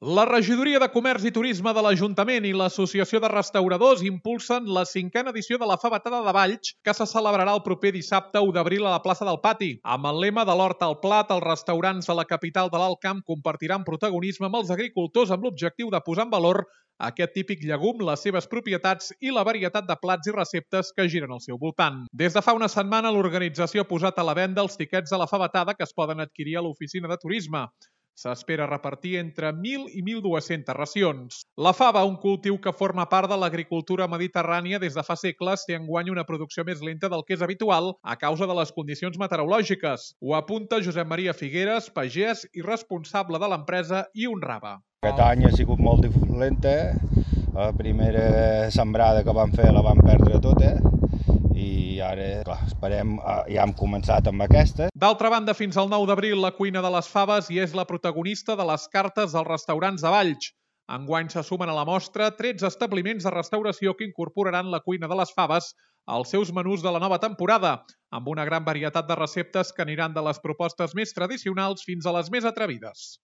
La Regidoria de Comerç i Turisme de l'Ajuntament i l'Associació de Restauradors impulsen la 5a edició de la Favetada de Valls, que se celebrarà el proper dissabte 1 d'abril a la plaça del Pati. Amb el lema de l'hort al plat, els restaurants de la capital de l'Alt Camp compartiran protagonisme amb els agricultors amb l'objectiu de posar en valor aquest típic llegum, les seves propietats i la varietat de plats i receptes que giren al seu voltant. Des de fa una setmana, l'organització ha posat a la venda els tiquets de la Favetada que es poden adquirir a l'oficina de turisme. S'espera repartir entre 1.000 i 1.200 racions. La fava, un cultiu que forma part de l'agricultura mediterrània des de fa segles, té enguany una producció més lenta del que és habitual a causa de les condicions meteorològiques. Ho apunta Josep Maria Figueres, pagès i responsable de l'empresa, i honrava. Aquest any ha sigut molt lenta. La primera sembrada que vam fer la vam perdre tota. I ara, clar, esperem, ja hem començat amb aquesta. D'altra banda, fins al 9 d'abril, la cuina de les faves hi és la protagonista de les cartes dels restaurants de Valls. Enguany se sumen a la mostra 13 establiments de restauració que incorporaran la cuina de les faves als seus menús de la nova temporada, amb una gran varietat de receptes que aniran de les propostes més tradicionals fins a les més atrevides.